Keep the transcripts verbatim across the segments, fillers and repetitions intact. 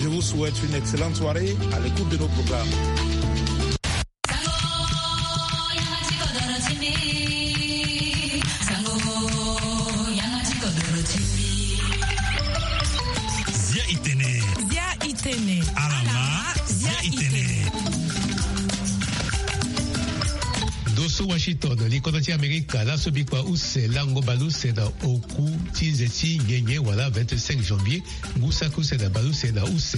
Je vous souhaite une excellente soirée à l'écoute de nos programmes. Zia itene. Zia itene. Alama, zia itene. Ndo so Washington, likodo ti Amerika, laso bikua use lango baleuse na oku ti nze ti nyenye wala vingt-cinq janvier, ngu saki use na baleuse na use.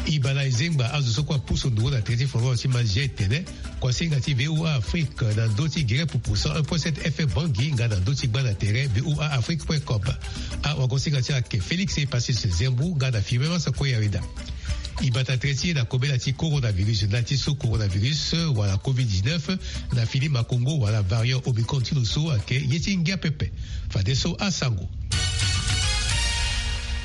Ibala ezengba azo so kue apusu nduru na tere ti foro ti ma zia itene. Kuasinga ti V O A Afrique na ndö ti gere pupu cent un point sept F M Bangui nga na ndö ti gba na tere V O A Afrique point com. Awagosinga ti ayeke Félix Epasis Zembu nga na Firmin Masa Koyarida. E bata tere ti e na kobela ti coronavirus, nda ti so coronavirus wala covid dix-neuf na fini makongo wala variant Omicron ti lo so ayeke ye ti ngia pepe. Fadeso asango.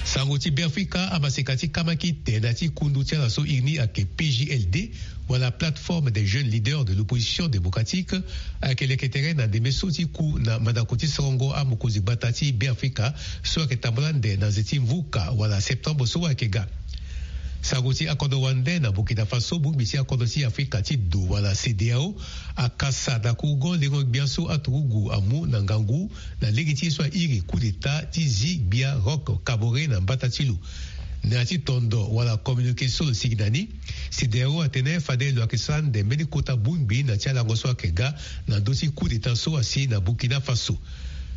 Sango ti Beafrika, amaseka ti kamakite na ti kundu ti ala so iri ni ayeke P J L D, wala Plateforme des Jeunes Leaders de l'Opposition Démocratique, ayeke leke tere na ndembe so ti ku na mandako ti sorongo amokonzi gbata ti Beafrika so ayeke tambula ande na nze ti mvuka wala septembre so ayeke ga. Sango ti akodro wande na Burkina Faso, bongbi ti akodro ti Afrika ti do wala CEDEAO akasa na kurugo lengo gbia so aturugu amu na ngangu na lege ti ye so airi coup d'état ti zi gbia Roch Kaboré na mbata ti lo. Na ya ti tondo wala communiqué so lo sigi na ni, CEDEAO atene fade lo yeke sara ande mbeni kota bongbi na ya ti alango so ayeke ga na ndö ti coup d'état so asi na Burkina Faso.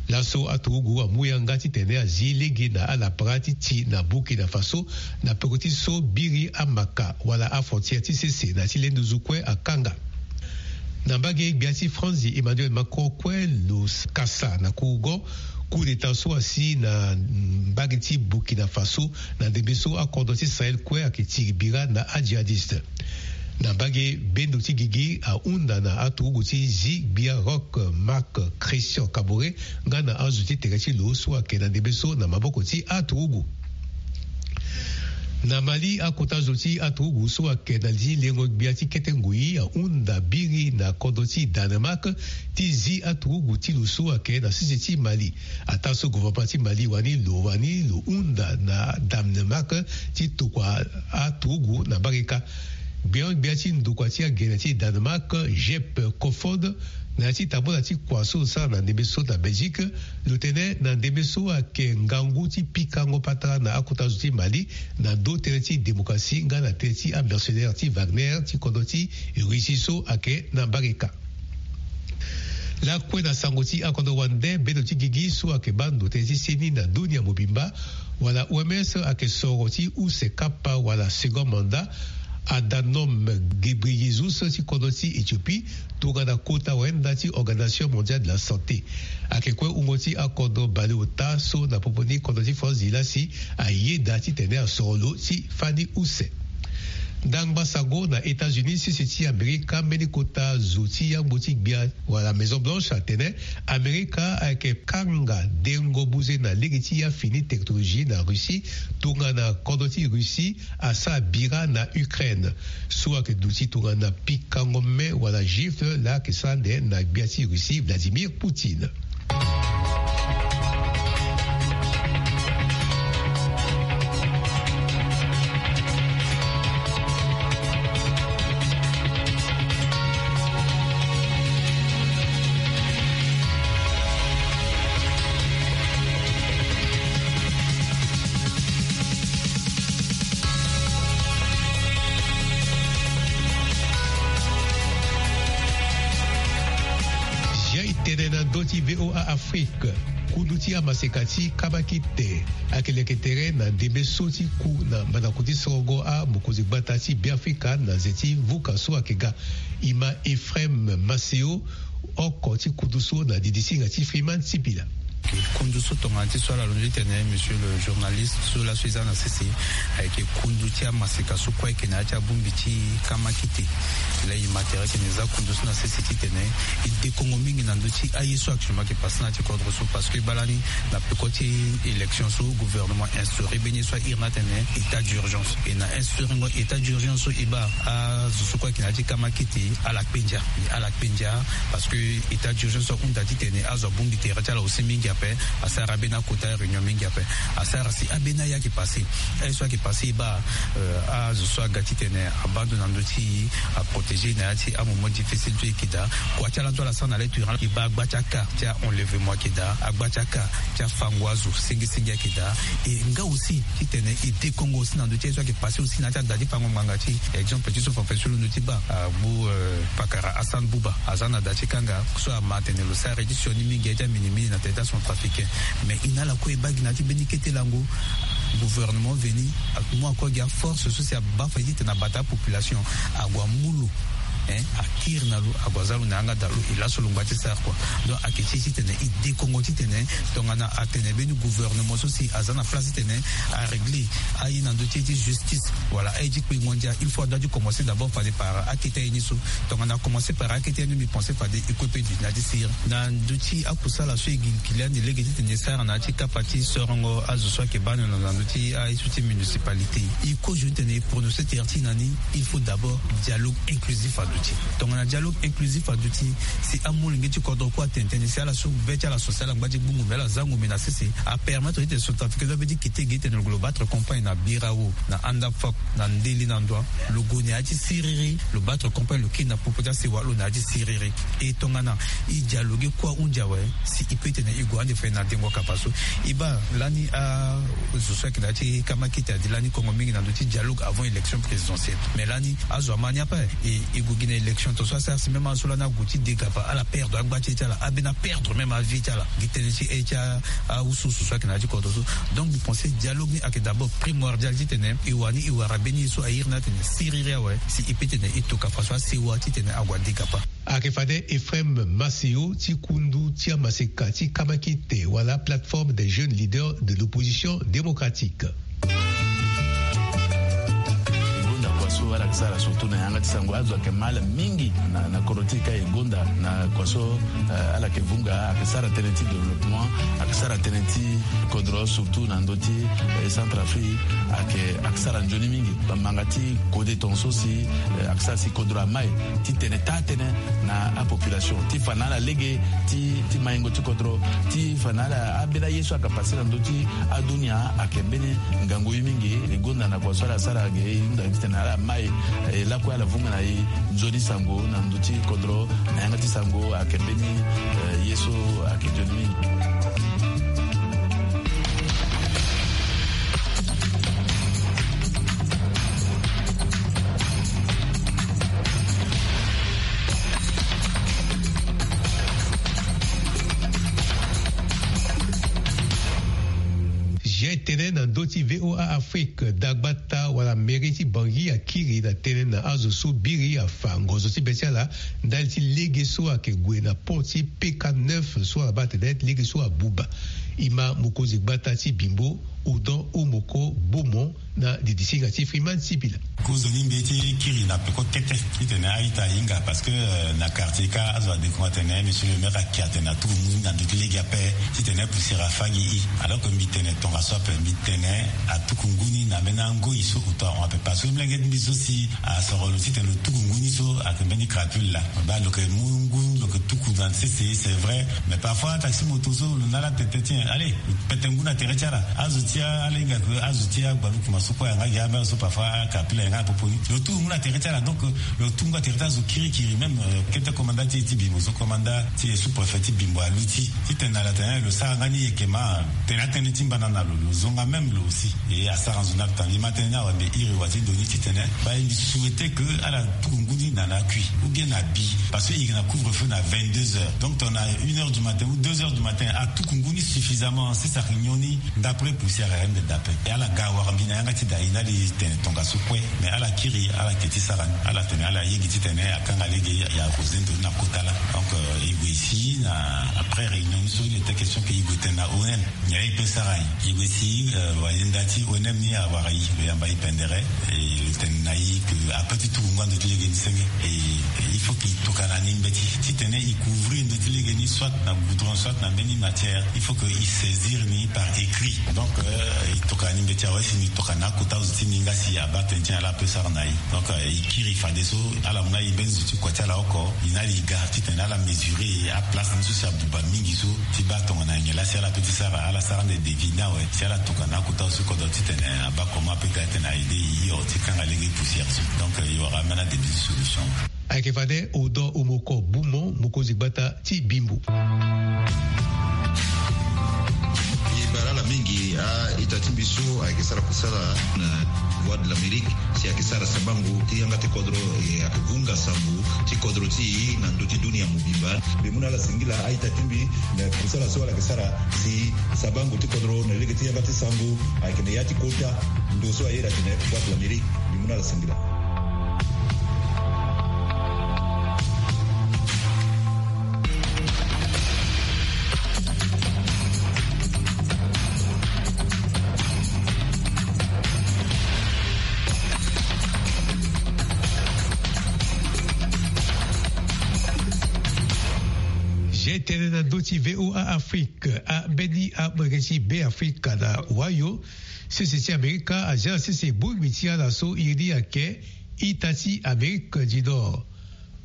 Laso aturugu amu yanga titene azi lege na alapara ti ti na Burkina Faso na peko ti so biri amaka wala afrontière ti sese na ya ti le nduzu kue akanga. Na mbage gbia ti Franzi, Emmanuel Macron kue lo s-, kasa na kurugo coup d'état so asi na mbage ti Burkina Faso na ndembe so akodro ti Sahel kue ayeke tiri bira na ajihadiste. Na mbage bendo ti gigi ahunda na aturugu ti zi gbia Roch Marc Christian Kaboré nga na azo ti tere ti lo so ayeke na ndembe so na maboko ti aturugu. Na Mali, akota zo ti aturugu so ayeke na li ti lengo gbia ti kete ngoi ahunda biri na kodro ti Danemark ti zi aturugu ti lo so ayeke na sese ti Mali. Ataa so gouvernement ti Mali wani lo, wani lo hunda na Danemark ti tokua aturugu na mbage kâ. Gbia gbia ti ndokua ti agene ti Danemark, Jeppe Kofod, na ya ti tambula ti kua so lo sara na ndembe so na Belgique, lo tene na ndembe so ayeke ngangu ti pikango patara na akota zo ti Mali na ndö tere ti démocratie nga na tere ti amercenaire ti Wagner ti kodro ti Russie so ayeke na mbage kâ. Lakue na sango ti akodro wande, bendo ti gigi so ayeke baa ndo tënë ti seni na dunia mobimba wala O M S ayeke soro ti use kapa wala second mandat Adhanom Ghebreyesus ti kodro ti Éthiopie tongana kota wayenda ti Organisation Mondiale de la Santé. Ayeke kue wungo ti akodro baleota so na popo ni kodro ti France, e lasi ayeda titene asoro lo ti fani use. Ndangba sango na États-Unis, sese ti Amerika, mbeni kota zo ti yangbo ti gbia wala Maison Blanche atene Amerika ayeke kanga dengo buze na lege ti ya fini technologie na Russie tongana kodro ti Russie asara bira na Ukraine. So ayeke duti tongana pikango me wala gifle laa ayeke sara ande na gbia ti Russie Vladimir Poutine. Zia e tene na ndö ti V O A Afrique. Kundu ti amaseka ti kamakite ayeke leke tere na ndembe so ti ku na mandako ti sorongo amokonzi gbata ti Beafrika na nze ti mvuka so ayeke ga. E ma Ephraim Maseo, oko ti kundu so na didisinga ti Freeman Sipila. Kundu so tongana ti so ala londo ti tene, monsieur le journaliste, so laso e za na sese ayeke kundu ti amaseka so kue ayeke na ya ti abongbi ti kamakite. Laa e ma tere tene e za kundu so na sese titene e dekongo mingi na ndö ti aye so actuellement ayeke pase na ya ti kodro so, parce que baa lani na peko ti élection so gouvernement instauré mbeni ye so a iri ni atene état d'urgence. E na instaurengo état d'urgence so e baa azo so kue ayeke na ya ti kamakete ala kpe ndia. Ala kpe ndia parce que état d'urgence so ahunda titene azo abongbi tere ti ala aussi mingi ape. Asara ambeni akota réunion mingi ape. Asara si ambeni aye ayeke pase. Aye so ayeke pase e baa azo so aga titene abaa ndo na ndö ti aprotéger na ya ti amoment difficile so e yeke daa. Kua ti ala so ala sara na le turin e baa agba ti aka ti a-enlèvement ayeke daa, agba ti aka ti afango azo sengesenge ayeke daa. E nga aussi titene e dekongo aussi na ndö ti aye so ayeke pase aussi na ya ti ada ti fango ngbanga ti exemple ti so fafa so londo ti baa agbu pakara Hassan Bouba aza na da ti kanga so ama atene lo sara ye ti sioni mingi aye ti aminimini na tere ti acentrafricain. Mais e na ala kue e baa gi na ya ti mbeni kete lango gouvernement veni amu akue gi aforce so si abaa fa ye titene abata apopulation ague amu lo, hein, akiri na lo ague aza lo na yanga daa lo e laso lo ngba ti sara kua. Donc ayeke ti e titene e dekongo titene tongana atene mbeni gouvernement so si aza na place titene arégler aye na ndö ti ye ti justice wala aye ti kpengo ndia, il faut ado ati commencer d'abord fade par akete aye ni so. Tongana akomencer par akete aye ni mbi pense fade e kue pe du na ya ti siriri na ndö ti akusala so e gi kili ande lege titene e sara na ya ti kapa ti sorongo azo so ayeke baa ndo na ndö ti aye so ti municipalité. E kozo ni titene e prononcer tere ti e na ni, il faut d'abord dialogue inclusif aduti. Tongana dialogue inclusif aduti, si amolenge ti kodro kue atene tënë si ala so be ti ala so si ala ngba ti gbu ngombe ala za ngombe na sese, apermettre titene centrafricain so abe ti kete ge titene lo battre campagne na birao, na andafok, na ndeli na ndoa, lo gue na ya ti siriri, lo battre campagne lo kiri na popo ti asewa lo na ya ti siriri. E tongana e dialogue kue ahunzi awe, si e peut titene e gue ande fade na dengo kapa so. E baa lani azo so ayeke na ya ti kamakete adi lani kongo mingi na ndö ti dialogue avant élection présidentielle. Mais lani azo ama ni ape, e e gue gi na élection tongaso asara si même azo so lani ague ti degapa ala perdre agba ti e ti ala, ambeni aperdre même avi ti ala gi tënë ti e ti a- awusuwusu so ayeke na ya ti kodro so. Donc mbi pense dialogue ni ayeke d'abord primordial titene e wani e wara mbeni ye so a iri ni atene siriri awe, si e peut titene e to kapa so asewa titene ague adegapa. Ayeke fade Ephraim Maseo ti kundu ti amaseka ti kamakete wala plateforme des jeunes leaders de l'opposition démocratique. E gonda kua so ala yeke sara surtout na yanga ti sango, azo ayeke mal mingi na na kodro ti e ka e gonda na kua so, eh, ala yeke vunga, ayeke sara tënë ti développement, ayeke sara tënë ti kodro surtout na ndö ti, eh, Centrafrique, ayeke ayeke sara nzoni mingi. Bamanga ti kode tongaso si, eh, ayeke sara si kodro amai titene taa tënë na apopulation ti fa na ala lege ti ti maingo ti kodro, ti fa na ala ambeni aye so ayeke pase na ndö ti adunia ayeke mbeni ngangu ye mingi. E gonda na kua so ala sara ge e hunda titene ala mai, eh, lakue ala vunga na e nzoni sango na ndö ti kodro na yanga ti sango ayeke mbeni, eh, ye so ayeke nzoni mingi. Zia tënë na ndö ti V O A Afrique, dagbata wala mairie ti Bangui akiri na tënë na azo so biri afa ngozo ti be ti ala ndali ti lege so ayeke gue na pont ti P K neuf so ala baa atene lege so abuba. E ma mokonzi gbata ti Bimbo, Odon Omoko Bomo, na didisinga ti Freeman Sibila. Kozoni mbi ye ti kiri na peko kete titene a-ita ahinga parce que, euh, na quartier ka azo adekongo atene monsieur le maire ayeke atene atuku ngu ni na ndö ti lege ape titene poussière afa gi e. Alors que mbi tene tongaso ape, mbi tene atuku ngu ni na mbeni angoi so auto ahon ape parce que molenge ti mbi so si asoro lo titene lo tuku ngu ni so ayeke mbeni crapule laa. Baa lo yeke mu ngu lo yeke tuku na sese, c'est vrai, mais parfois taxi moto so lo na ala tete ti nyen, allez, pete ngu na tere ti ala. Azo ti ala hinga ke azo ti aGuadeloupe ma so kue ayanga gi amere so parfois akapila ayanga na popo ni. Lo tuku ngu na tere ti ala, donc lo tuku ngu na tere ti azo kirikiri. Même, euh, kete commandant ti e ti Bimbo so, commandant ti e sous-préfet ti Bimbo aluti titene na ala tene lo sara nga ni yeke ma tene atënë ti mbana na lo, lo zonga même lo aussi. E asara nzoni ape. Tanga e ma tënë ni awe mbi iri wa ti ndo ni titene baa e mbi souhaiter que ala tuku ngu ni na na akui ou bien na bi, parce que e yeke na couvre-feu na vingt-deux heures. Donc tongana une heure du matin ou deux heures du matin atuku ngu ni suffisamment, sese ayeke nyon ni, d'après poussière Rende d'appel. E ala ga wara mbi na yanga ti da e na li tene tongaso kue. Mais ala kiri, ala ke ti sara ni. Ala tene, ala yingi ti tene akanga lege ya Rosé Ndoni na kota laa. Donc, euh, e gue si na après réunion ni so, il était question que e gue tene na O N M. Nyen e pe sara ayi? E gue si, euh, wayenda ti O N M ni awara e, lo yamba e pendere. E lo tene na e que ape ti tuku ngoi ando ti lege ni senge. E il faut que e tokana ni mbeti ti tene e couvrir ndo ti lege ni, soit na goudron, soit na mbeni matière. Il faut que e saisir ni par écrit. Donc, euh, e tokana ni mbeti awe si ni tokana akota zo ti ni nga si abaa tënë ti ala ape sara na e. Donc, euh, e kiri fadeso ala mu na e mbeni zo ti kua ti ala oko. E na li e ga ti tene ala mesurer aplace ni so si abuba mingi so ti baa tongana nyen laa si ala pe ti sara, ala sara ande devis ni awe. Si ala tokana akota zo ti kodro ti tene abaa comment ape ga tene a aider e hio ti kanga lege poussière so. Donc, euh, e wara ambeni adevis ti solution. Ayeke fade Odon Omoko Bumo, mokonzi gbata ti Bimbo. E bara ala mingi a-ita ti mbi so ayeke sara kusala na Voix de l'Amérique, si ayeke sara sabango ti yanga ti kodro, e ayeke vunga sango ti kodro ti e na ndö ti dunia mobimba. Mbi mu na ala singila a-ita ti mbi na kusala so ala yeke sara si sabango ti kodro na lege ti yanga ti sango ayeke na ya ti kota ndo so aye iri atene Voix de l'Amérique. Mbi mu na ala singila. Ge tene na ndö ti V O A Afrique, ambeni amolenge ti Beafrika na Ohio, sese ti Amerika azia na sese bongbi ti ala so iri ni ayeke ita ti Amérique du Nord.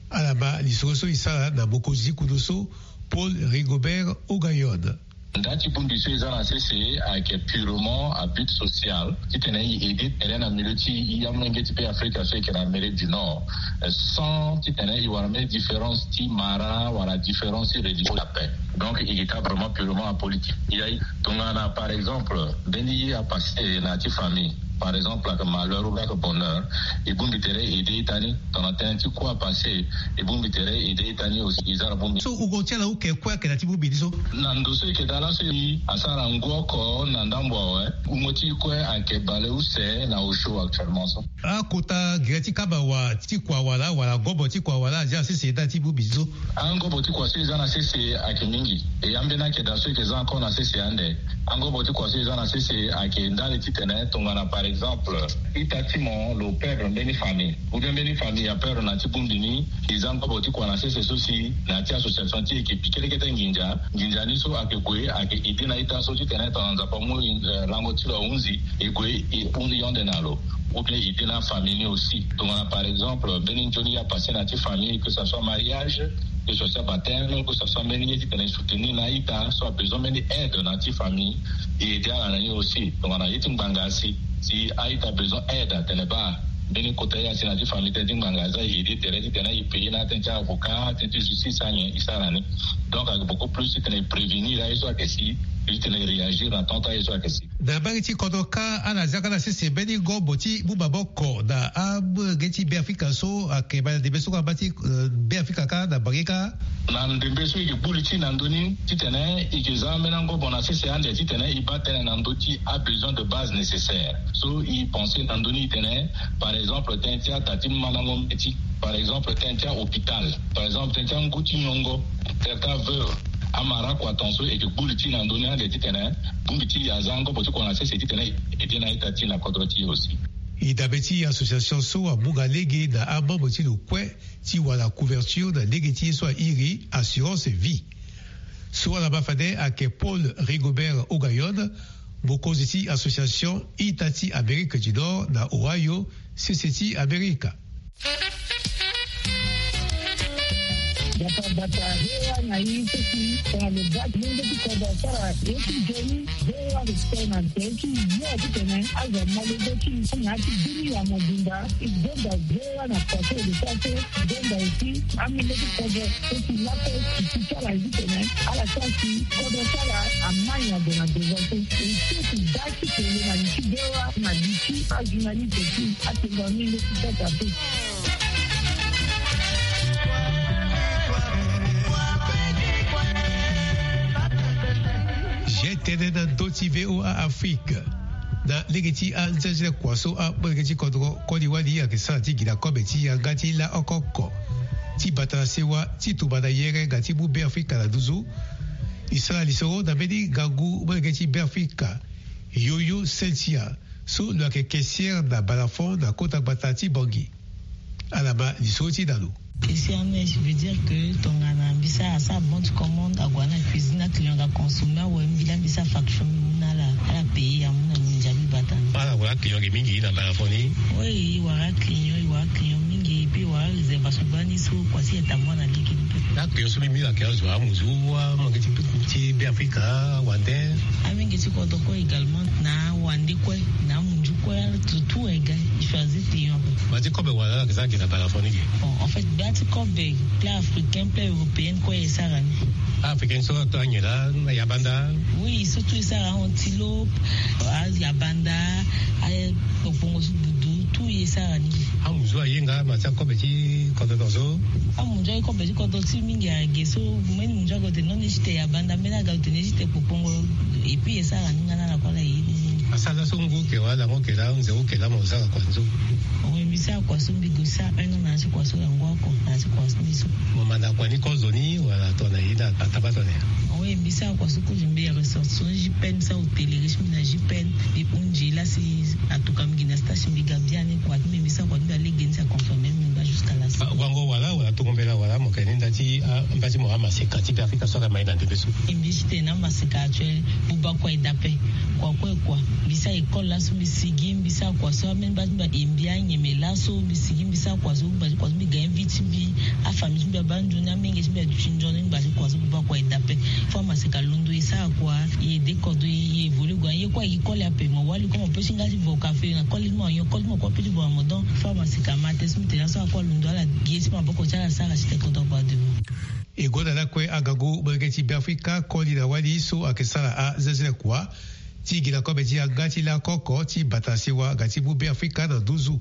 Ala ma lisoro so e sara na mokonzi ti kunu so, Paul Rigobert Ogayon. Nda ti bongbi so e za na sese ayeke purement à but social, titene e aider tere na milieu ti e amolenge ti Beafrika so e yeke na Amérique du Nord, sans titene e wara mbeni différence ti mara wala différence ti religion ape. Donc e yeke ka vraiment purement apolitique. E ye tongana par exemple mbeni ye apasé na ya ti famille, par exemple ayeke malheur ou bien ayeke bonheur, e bongbi tere e aider ita ni. Tongana tënë ti kue apasé, e bongbi tere e aider ita ni aussi. E za na bongbi so wungo ti ala oke kue ayeke na ti bongbi ni so. Na ndo so e yeke daa laso e asara ngu oko na ndambo awe. Wungo ti e kue ayeke baleuse na osio actuellement so. Akota gere ti kaba wa ti kua wala, wala ngobo ti kua wala azia na sese na ya ti bongbi ni so. Angobo ti kua so e za na sese ayeke mingi. E ambeni akeda so e yeke za encore na sese ande. Angobo ti kua so e za na sese ayeke ndali titene tongana par exemple ita ti mo lo perdre mbeni famille, ou bien mbeni famille aperdre na ya ti bongbi ni, e za ngobo ti kua na sese so si na ya ti association ti e e yeke pikelekete nginza. Nginza ni so ayeke gue ayeke aider na ita so titene tongana Nzapa amu, eh, lango ti lo ahunzi, e gue e hunzi yonde na lo. Ou bien e aider na afamille ni aussi. Tongana par exemple mbeni nzoni ye apasé na ya ti famille, que ça soit mariage, que ce soit baptême, que ce soit mbeni ye titene e soutenir na a-ita so abesoin mbeni aide na ya ti famille, e aider ala na ni aussi. Tongana ye ti ngbanga asi, si a-ita besoin aide atene baa mbeni kota ye asi na ya ti famille, tënë ti ngbanga aza, e aider tere titene e payer na atënë ti avocat, atënë ti justice, anyen e sara ni. Donc ayeke beaucoup plus titene e prévenir aye so ayeke si, titene e réagir na temps ti aye so ayeke si. Na mbage ti kodro kâ, ala zia kâ na sese mbeni ngobo ti mu maboko na amolenge ti Beafrika so ayeke bale na ndembe so kâ na mbage ti, eh, Beafrika kâ na mbage kâ. Na ndembe so e yeke gbu li ti e na ndö ni titene e yeke za ambeni angobo na sese ande titene e baa tënë na ndö ti abesoin de base nécessaire. So e pensé na ndö ni titene, par exemple tënë ti ata ti mandango mbeti, par exemple tënë ti ahôpital, par exemple tënë ti angu ti nyongo, tere ti aveuve, amara kua ton so e yeke gbu li ti e na ndö ni ande titene bongbi ti e aza angobo ti kua na sese titene e aider na a-ita ti e na kodro ti e aussi. E dabe ti association so amu nga lege na amembre ti lo kue ti wara couverture na lege ti ye so airi assurance vie. So ala ma fade ayeke Paul Rigobert Ogayon, mokonzi ti association ita ti Amérique du Nord na Ohio, sese ti Amerika. Bata bata, V O A na e so si tongana lo baa ti lenge ti kodro asara ye ti nzoni, V O A respect na nze ti yo titene azo amolenge ti e na ya ti dunia mobimba. E gonda V O A na kua so e lo sara so, e gonda aussi amolenge ti kodro so si laso e si ti ala titene ala sara si kodro ti ala amai na ndo na devant so. E so si baa ti kele na li ti V O A na li ti ajournaliste ti atengua mingi ti sasa pe. Tënë na ndö ti VOA Afrique. Na lege ti anzenze kua so amolenge ti kodro koli wali ayeke sara ti gi na kobe ti yanga ti laoko oko ti bata na sewa ti tumba na yere nga ti mu Beafrika na nduzu. E sara lisoro na mbeni ngangu molenge ti Beafrika, Yoyo Cynthia, so lo yeke caissière na Balafon na kota gbata ti Bangui. Ala ma lisoro ti na lo. Caissière nèche veut dire que tongana mbi sara asara bon ti commande, ague na cuisine, aclient aga consommer awe, mbi laa mbi sara facture, mbi mu na ala, ala payer, amu na mbi, ndia mbi bata ni. Ala wara client ge mingi na Balafon ni? Oui, e wara client, e wara client mingi, et puis e wara réservation gbani so kua si e tambula na lege ni. Aclient so mbi mbi ayeke azo amuzu, amolenge ti, ti Beafrika, awande? Amolenge ti kodro kue également, na awande kue, na amunzu kue, ala tout, tout égale, e choisir client ape. Gba ti kobe wala ala yeke sara ge na Balafon ni ge? Bon, en fait, gba ti kobe, plat africain, plat européen kue e sara ni. Africain so ato anyen laa, na yabanda? Oui, surtout e sara antilope, ayabanda, akpokpongo so, budu, tout e sara ni. Amunzu aye nga ma ti akobe ti kodro so? Amunzu aye kobe ti kodro ti mingi ayeke ge so, mbeni munzu aga lo tene non, ni ti te yabanda, mbeni aga lo tene ni ti te kpokpongo, et puis e sara ni nga na ala kue, ala ye ni. Asara laso ngu oke wala lango oke laa, nze oke laa, mo sara kua nzoni? Oui, mbi sara kua so, mbi gue sara un an na ya ti kua so, yango oko na ya ti kua so ni so. Mo manda kua ni kozo ni wala tongana ye na tabata na ya? Oui, mbi sara kua so kozo, mbi ressortissant J P N, mbi sara hôtellerie ti mbi na J P N, mbi hunzi la si atuka mbi gi na stage mbi ga biani, kua ti mbi, mbi sara kua ti mbi na lege ni si aconfirmer mbi nga jusqu'à la fin. Ah, wango wala, wala tongo mbela wala, mo yeke ni nda ti, ah, mba ti mo amaseka ti Beafrika so ayeke ma ye na ndembe so? E mbi ti tene amaseka actuel, buba kua e daa ape. Kua kue kua. Mbi sara école laso, mbi sigi, mbi sara kua so, ambeni mba ti mbi aye mbi anyeme laso, mbi sigi, mbi sara kua so, mbi bati kua so, mbi ga invite ti mbi, afamille ti mbi abaa nzoni, amenge ti mbi aduti nzoni, mbi bati kua so, buba kua e daa ape. Faut amaseka alondo e sara kua, e aide kodro, e évolue kua, ye kue aye koli ape, mo wali kue mo peut ti nga ti vo kafe na koli ti mo, ayo koli ti mo kue apeut ti vo na mo. Donc, faut amaseka ama tënë so mbi tene laso, akue alondo, ala gi ye ti maboko ti ala, asara ti tene kodro akua devant. E gonda lakue angangu molenge ti Beafrika koli na wali so ayeke sara azenzele kua ti gi na kobe ti yanga ti laoko oko ti bata sewa nga ti mu Beafrika na nduzu.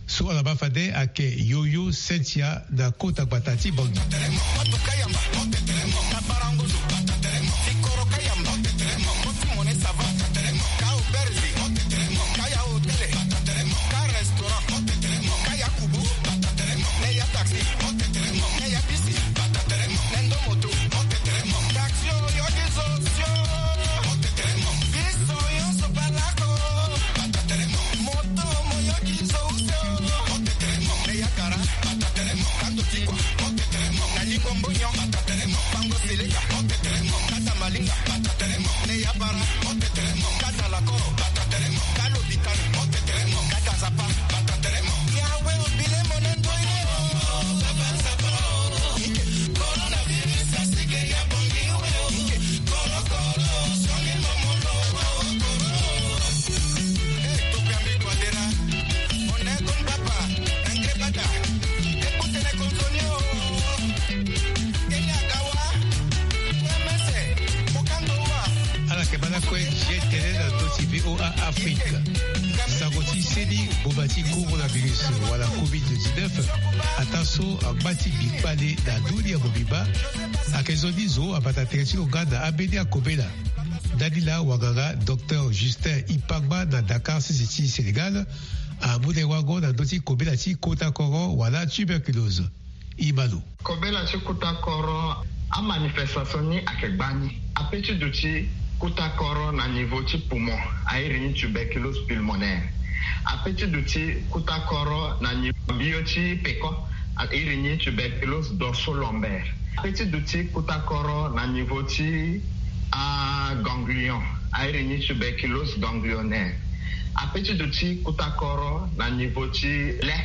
So ala ma fade ayeke Yoyo Cynthia na kota gbata ti Bangui. Ala yeke baa lakue, e tene na ndö ti VOA Afrique. Sango ti seni ngboma ti coronavirus wala covid dix-neuf, ataa so angba ti gbi kpale na dunia mobimba, ayeke nzoni zo abata tere ti lo nga na ambeni akobela. Ndani laa wanganga docteur Justin Ipangba na Dakar, sese ti Sénégal, amu na e wango na ndö ti kobela ti kota koro wala tuberculose. E ma lo. Kobela ti kuta koro, amanifestation ni ayeke gbani. Ape ti duti kuta koro na niveau ti poumon, a iri ni tuberculose pulmonaire. Ape ti duti kuta koro na niveau mbio ti peko, a iri ni tuberculose dorso-lombaire. Ape ti duti kuta koro na niveau ti aganglion, a iri ni tuberculose ganglionnaire. Ape ti duti kuta koro na niveau ti le,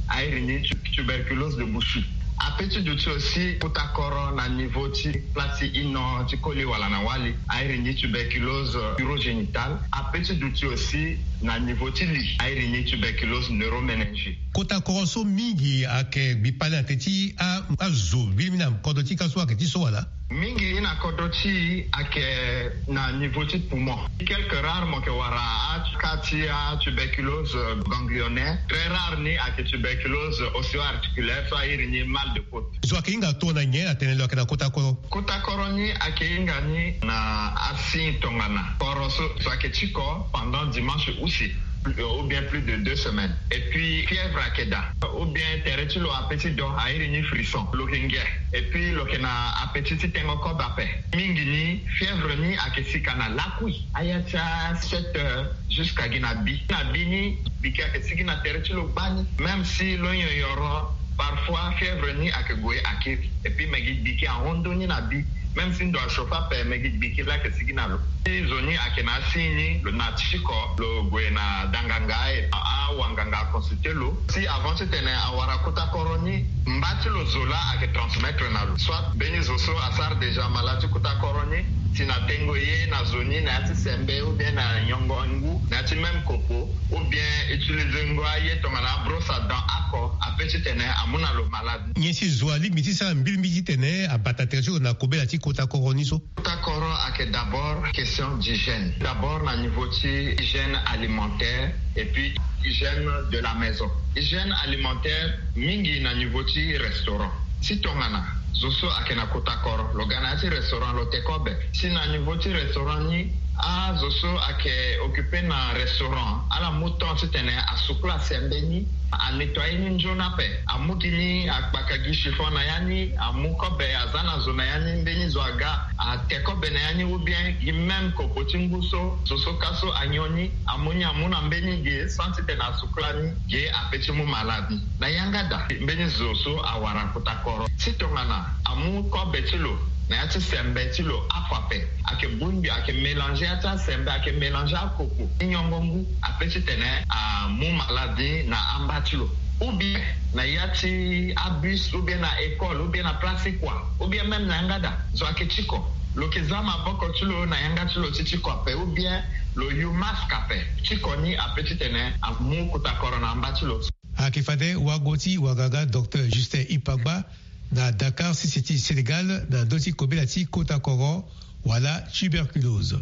a iri ni tu-, tuberculose de Bushi. Ape ti duti aussi kuta koro na niveau ti place ti ino ti koli wala na wali, a iri ni tuberculose urogénitale. Ape ti duti aussi na niveau ti li, a iri ni tuberculose neuroméningée. Kota koro so mingi ayeke gbi kpale na tene ti a, azo mbili mingi na kodro ti ka so ayeke ti so wala? Mingi ni na kodro ti e ayeke na niveau ti poumon. Quelques rares mo yeke wara aka ti atuberculose ganglionnaire. Très rare ni ayeke tuberculose ostéo-articulaire so a iri ni mal de côte. Zo ayeke hinga tongana nyen atene lo yeke na kota koro? Kota koro ni ayeke hinga ni na asigne tongana koro so, zo ayeke tiko pendant dimanche use, ou bien plus de deux semaines. Et puis fièvre ayeke daa, ou bien tere ti lo ape ti do a iri ni frisson, lo yeke ngia. Et puis lo yeke na apetit ti tengo kobe ape. Mingi ni fièvre ni ayeke sika na lakui, aya ti a sept heures jusqu'à gi na bi. Na bi ni, biki ayeke sigi na tere ti lo gbani. Même si lo nyonyoro, parfois fièvre ni ayeke gue akiri. Et puis me gi biki ahon ndoni na bi. Même si ndo achauffe ape, me gi biki laa ayeke sigi na lo. Si zo ni ayeke na asigne ni, lo na tiko, lo gue na danganga, e awanganga aconsulter lo. Si avant titene awara kota koro ni, mba ti lo zo laa ayeke transmettre na lo. Soit mbeni zo so asara déjà malade ti kota koro ni, si na tengo ye na zo ni na ya ti sembe ou bien na nyongo ngu na ya ti même kopo, ou bien utiliser ngo aye tongana brosse à dents oko, ape titene amu na lo malade. Nyen si zo alingbi ti sara mbilimbili titene abata tere ti lo na kobela ti kota koro ni so? Kota koro ayeke d'abord question d'hygiène. D'abord na niveau ti hygiène alimentaire et puis hygiène de la maison. Hygiène alimentaire mingi na niveau ti restaurant. Si tongana zo so ayeke na kota koro, lo ga na ya ti restaurant, lo te kobe. Si na niveau ti restaurant ni, azo so ayeke occuper na restaurant, ala mu temps titene asukula sembe ni, anettoyer ni nzoni ape. Amu gi ni, akpaka gi chiffon na ya ni, amu kobe, aza na zo na ya ni, mbeni zo aga, ate kobe na ya ni, ou bien gi même kopo ti ngu so zo so ka so anyon ni, amu ni amu na mbeni ge sans titene asukula ni, ge ape ti mu malade ni. Na yanga daa, mbeni zo so awara kota koro, si tongana amu kobe ti lo na ya ti sembe ti lo afa ape, ayeke bongbi, ayeke mélanger ya ti asembe, ayeke mélanger akopo ti nyongo ngu, ape titene amu malade ni na amba ti lo. Ou bien na ya ti abus, ou bien na école, ou bien na place ti kua, ou bien même na yanga daa, zo ayeke tiko, lo yeke za maboko ti lo na yanga ti lo ti tiko ape, ou bien lo yu masque ape. Tiko ni ape titene amu kota koro na amba ti lo. Ayeke fade wago ti wanganga docteur Justin Ipagba na Dakar, sese ti Sénégal, na ndö ti kobela ti kota koro wala tuberculose.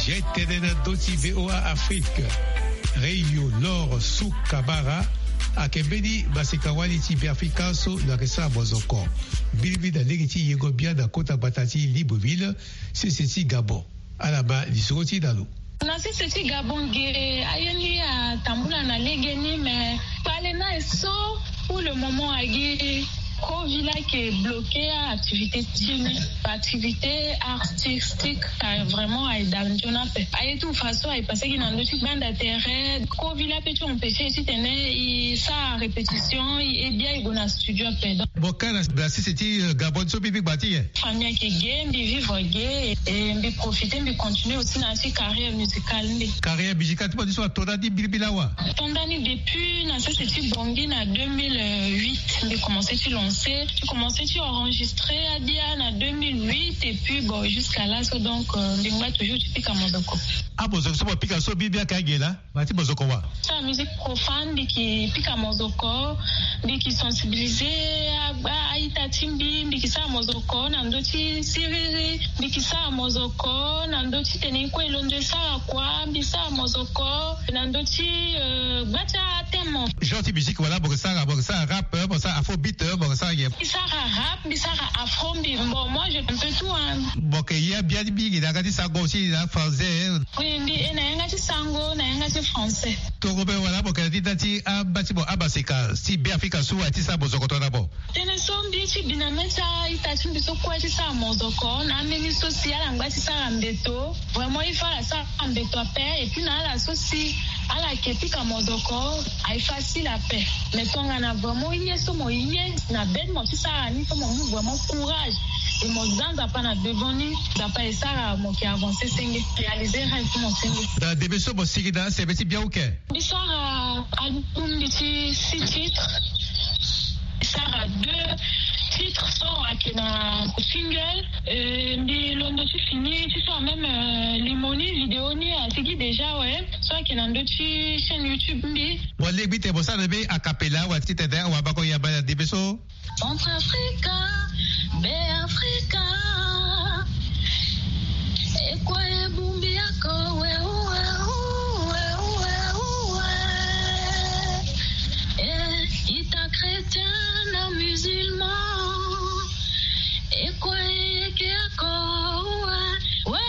Zi tene na ndö ti V O A Afrique, Reyo Lor Su Kabara ayeke mbeni maseka-wali ti Beafrika so lo yeke sara mozoko mbilimbili na lege ti yengo bia na kota gbata ti Libreville, sese ti Gabon. Ala ma lisoro ti na lo. Na sese ti Gabon ge, aye ni atambula na legeni, mais kpale ni aye so, pour le moment, agi Covid la ayeke bloquer activité ti ni. Activité artistique ka vraiment aye daa nzoni ape. Aye tout façon aye passé gi na ndö ti gbanda tere. Covid la peut ti empêcher titene e sara répétition, e bia e gue na studio ape. Donc, mo ka na sese ti, euh, Gabon so mbi, mbi gba ti nyen? Famille ayeke ge, mbi vivre ge, et mbi profiter, mbi continuer aussi na ya ti carrière musicale mbi. Carrière musicale ti mo ni so ato ndani mbilimbili awa? Ato ndani depuis na sese ti Bangui na deux mille huit, mbi commencer ti lancer, mbi commencer ti enregistrer adia na deux mille huit, et puis bon, jusqu'à là so, donc, euh, mbi ngba toujours ti pika mozoko. Ah, mozoko so mo pika so mbi, mbi ayeke aye laa? Mbi ti mozoko wa? Sara musique profane, mbi yeke pika mozoko, mbi yeke sensibiliser agba a-ita ti mbi, mbi yeke sara mozoko na ndö ti siriri, mbi yeke sara mozoko na ndö ti tene e kue e londo e sara kua, mbi sara mozoko na ndö ti, euh, gba ti athème. Genre ti musique wala mo yeke sara, mo yeke sara rap, mo yeke sara afrobeat, mo yeke sara nyen? Mbi sara rap, mbi sara afro, mbi, bon, moi je fais un peu tout, hein. Mo yeke ye abia ti mingi na yanga ti sango aussi na français, hein? Oui, mbi e na yanga ti sango, na yanga ti français. Tongo be wala mo yeke na ti nda ti amba ti mo, amaseka ti Beafrika so aye ti sara mozoko tongana mo? Tënë so mbi ye ti bi na mê ti a-ita ti mbi so kue aye ti sara mozoko na ambeni so si ala ngba ti sara mbeto. Vraiment il faut ala sara mbeto ape, et puis na ala so si ala yeke pika mozoko aye facile ape. Mais tongana vraiment ye so mo ye na be ti mo ti sara ni, so mo mu vraiment courage E mo za Nzapa na devant ni, Nzapa e sara mo ke avancer senge, réaliser rêve mo senge. Na ndembe so mo sigi na sebe ti biauke. Mbi sara album mbi ti six titres. Mbi sara deux titres so ayeke na single. Euh, mbi londo ti fini ti sara même, euh, limo ni, vidéo ni asigi déjà, ouais. So ayeke na ndö ti chaîne YouTube mbi. Mo lingbi tene mo sara na mbi a cappella wala titene wabako yamba na ndembe so. Centrafrica, Beafrika. E kue e bongbi oko, we, we, we. Eh, ita chrétien na musulman. E kue e yeke oko, we, we,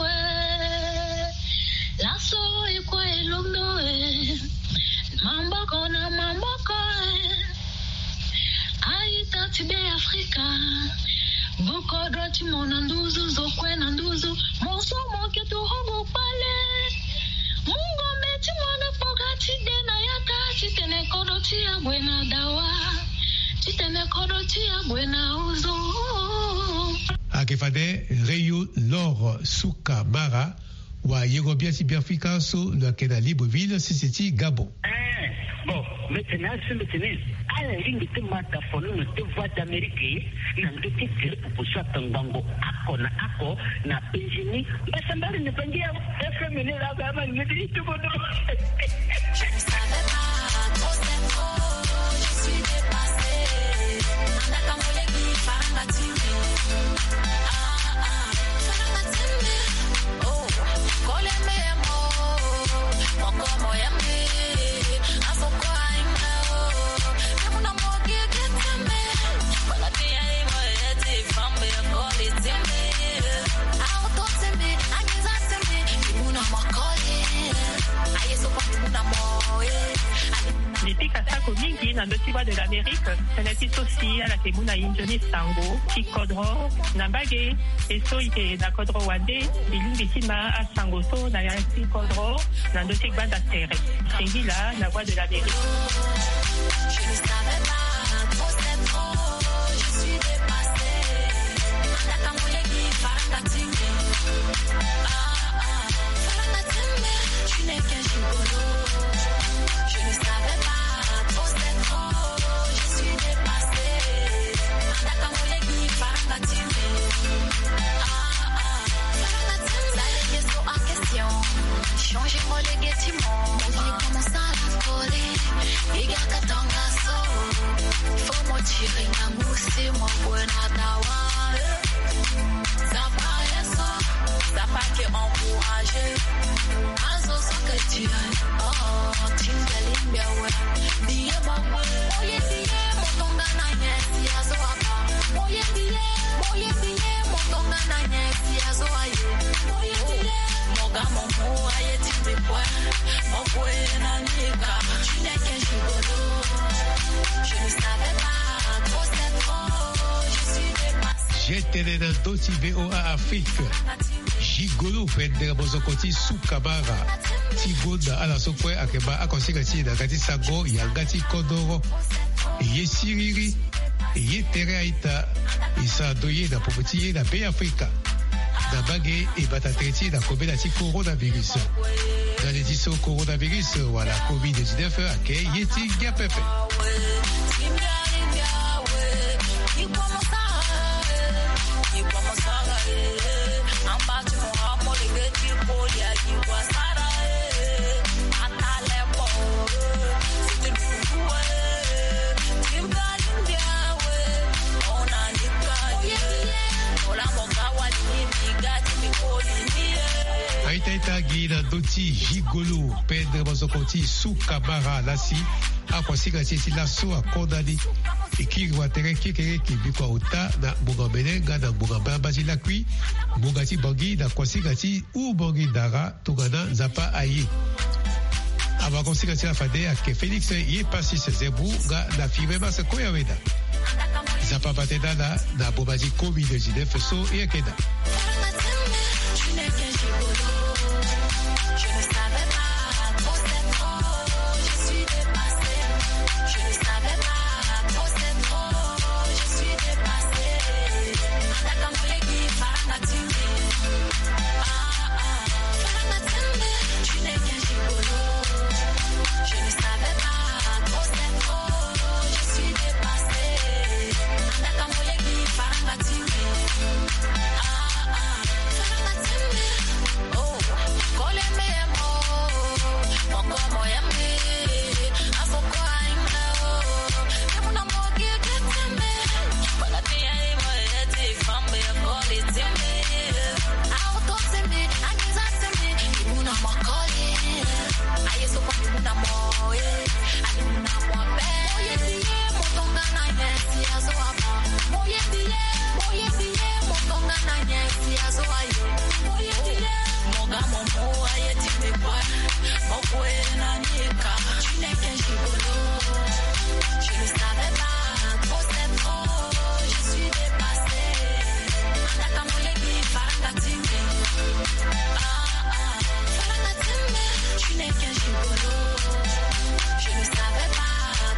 we. Laso e kue e londo, eh. Maboko na maboko, eh. Aita ti Beafrika. Bukodro ti mo na nduzu, zo kue na nduzu. Mo so mo yeke turugu kpale. Mu ngombe ti mo na kpoka ti de na yaka. Titene kodro ti ya gue na dawa. Titene kodro ti ya gue na ozo. Ayeke fade Rio Lor Suka Mara. Wayengo-gbia ti Beafrika so lo yeke na Libreville, sese ti Gabon. Eh, bon, mbi tene asi, mbi tene ala lingbi ti ma tafono na ti Voix d'Amérique na ndö ti tele pupu so atangbango oko na oko na penzi ni. Mbasambali ni bangi ya F M ni la ga ma ngeti ti tubodo. Je ne savais pas trop cette fois, je suis dépassée. Andaka moleki faranga timi. Ah, ah, faranga timi. Oh, kole me mo, moko mo ya me. Aso kwa inga, oh. Muna mo gege timi. Wala te ya imo ete fambe kole timi. Auto timi, angiza timi. Muna mo kole. Aye so kwa muna mo, eh. Mbi pika sako mingi na ndö ti Voix de l'Amérique. Tënë ti so si ala yeke mu na e nzoni sango ti kodro na mbage. E so e yeke na kodro wande, e lingbi ti ma asango so na ya ti kodro na ndö ti gbanda tere. Singila na Voix de l'Amérique. Je ne savais pas trop cette fois, je suis dépassée. Andaka moleki faranga timi. Ah, ah, faranga timi. Tu n'es qu'un gigolo. Je ne savais pas trop cette fois, je suis dépassée. Andaka moleki faranga timi. Ah, ah, faranga timi. Sala ye so en question. Changer molege ti mo. Oye, comment ça la folie? Iga katanga so. Faut mo tirer na musi mo kue na dawa. Zapa ye so, Zapa ke encourager. Azo so ke tirer. Oh, tinga limbia we. Biye mo kue. Oye biye mo tonga na nye si azo aba. Oye biye, oye biye mo tonga na nye si azo aye. Oye biye mo ga mo mu aye ti mbi kue. Mo kue na nika. Tu n'es qu'un gigolo. Je ne savais pas trop cette fois, je suis dépassée. Jetene na ndö ti V O A Afrique. Gigolo pendere mozoko ti Suka Mara ti gonda ala so kue ayeke baa akonsinga ti e na yanga ti sango yanga ti kodoro. E ye siriri, e ye tere a-ita, e sara ndo ye na popo ti ye na Beafrika. Na mbage e bata tere ti e na kobela ti coronavirus. Na le ti so coronavirus wala covid dix-neuf ayeke ye ti ngia pepe. A-ita-ita gi na ndö ti Gigolo, pendere mozoko ti Suka Mara lasi. Akonsinga ti e ti laso akonda ni. E kiri watere kekereke bikua ota na ngbonga mene nga na ngbonga mbamba ti lakui, ngbonga ti Bangui na konsinga ti Ubangui Dara tongana Nzapa aye. Awakonsinga ti la fade ayeke Félix ye Passis Zebou nga na Firmin Mas Koyaweda. Nzapa bate na ala na boma ti covid dix-neuf so e yeke daa. Chineke jigolo.